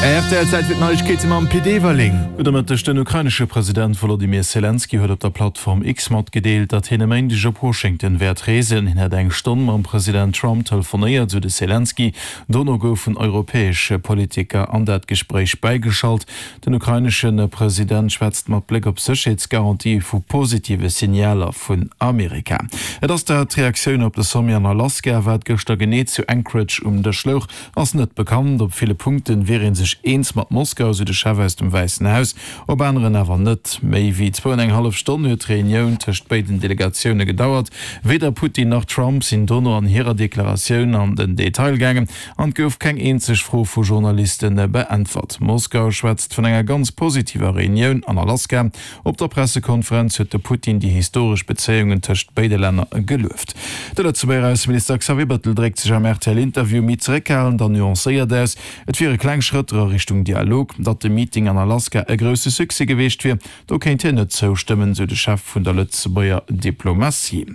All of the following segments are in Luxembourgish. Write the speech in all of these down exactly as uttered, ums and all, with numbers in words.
Rtl, Zäit fir d'Neiegkeete mam Pit Everling. Gudde Mëtteg, Den ukrainesche President Wolodymyr Selenskyj huet op der Plattform X matgedeelt, datt hien e Méindeg op Washington wäert reesen. Hien hätt eng Stonn mam President Trump telefonéiert, sou de Selenskyj. Dono goufen europäesch Politiker an dat Gespréich bäigeschalt. Den ukrainesche President schwätzt mat Bléck op Sécherheetsgarantië vu positive Signaler vun Amerika. Et ass dat d'Reaktioun op de Sommet an Alaska. Wat gëschter genee zu Anchorage um Dësch louch, ass net bekannt. Op ville Punkte wier ee sech eens mat Moskau, esou de Chef aus dem Wäissen Haus, op aneren awer net. Méi wéi zwou an eng hallef Stonn huet d'Reunioun tëscht béiden Delegatioune gedauert. Weder Putin nach Trump sinn dono an hirer Deklaratioun an den Detail gaangen an et gouf keng eenzeg Fro vu Journaliste beäntwert. Moskau schwätzt vun enger ganz positiver Reunioun an Alaska. Op der Pressekonferenz huet de Putin déi historesch Bezéiungen tëscht béide Länner gelueft. De Lëtzebuerger Ausseminister Xavier Bettel dréckt sech am R T L-Interview méi zeréckhalend an nuancéiert aus. Et wiere kleng Schrëtter a Richtung Dialog. Datt de Meeting an Alaska e grousse Succès gewiescht wier, do kéint hien net zoustëmmen, sou de Chef vun der Lëtzebuerger Diplomatie.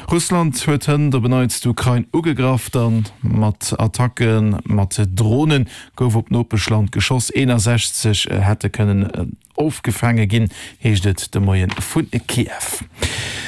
Russland huet hënt op en Neits d'Ukrain ugegraff, dann mat Attacke mat Dronen gouf op d'Nopeschland geschoss. eenasechzeg hätte kënnen ofgefaange ginn, heescht et de Moie vun Kiew.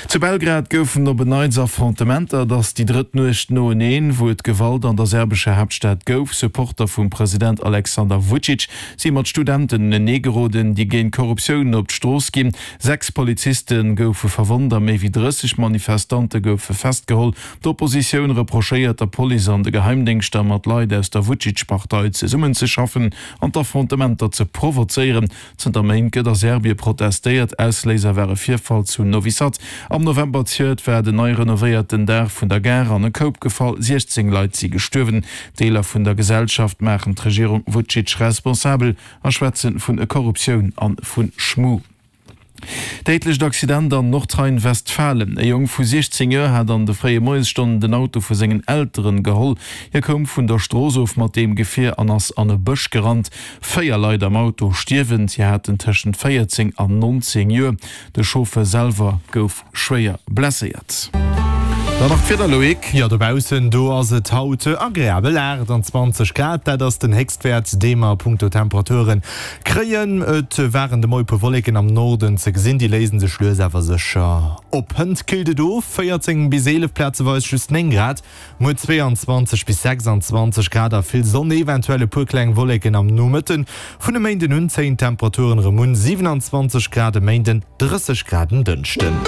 Zu Belgrad goufen op en Neits Affrontementer. Et ass déi drëtt Nuecht noeneen, wou et Gewalt an der serbescher Haaptstad gouf. Supporter vum President Alexander Vucic si mat Studenten unenee geroden, déi géint Korruptioun op d'Strooss ginn. Sechs Poliziste goufe verwonnt a méi wéi drësseg Manifestante goufe festgeholl. D'Oppositioun reprochéiert der Police an de Geheimdéngschter, mat Leit aus der Vucic-Partei zesummenzeschaffen an d'Affrontementer ze provozéieren. Zënter Méint gëtt a Serbie protestéiert. Ausléiser war e Virfall zu Novi Sad. Am November zejoert war den nei renovéierten Daach vun der Gare an e Koup gefall. siechzéng Leit si gestuerwen. Deeler vun der Gesellschaft maachen d'Regierung Vucic responsabel a schwätze vun Korruptioun a vu Schmu. Déidlecht Accident an Nordrhein-Westfalen, E Jong vu siechzéng Joer hat an de fréie Moiesstonnen den Auto vu sengen Elteren geholl. Hie koum vun der Strooss of mat deem Gefier an ass an e Bësch gerannt. Véier Leit am Auto stierwen, si haten tëschent véierzéng an nonzéng Joer. De Chauffeur selwer gouf schwéier blesséiert. Dann nach d'Wieder, Loïc. Jo, dobaussen do ass et haut agreabel, aachtanzwanzeg Grad, dat ass den Héchstwäert, dee mer a punkto Temperaturen kréien. Et waren de Moie puer Wolleken am Norden ze gesinn, déi léisen sech lues awer sécher op. Hënt killt et of, véierzéng bis eelef, plazeweis just néng Grad, muer zweeanzwanzeg bis sechsanzwanzeg Grad a vill Sonn, eventuell e puer kleng Wolleken am Nomëtten. Vun e Méinden un zéien d'Temperaturen erëm un, siwenanzwanzeg Grad e Méinden, drësseg Grad en Dënschden.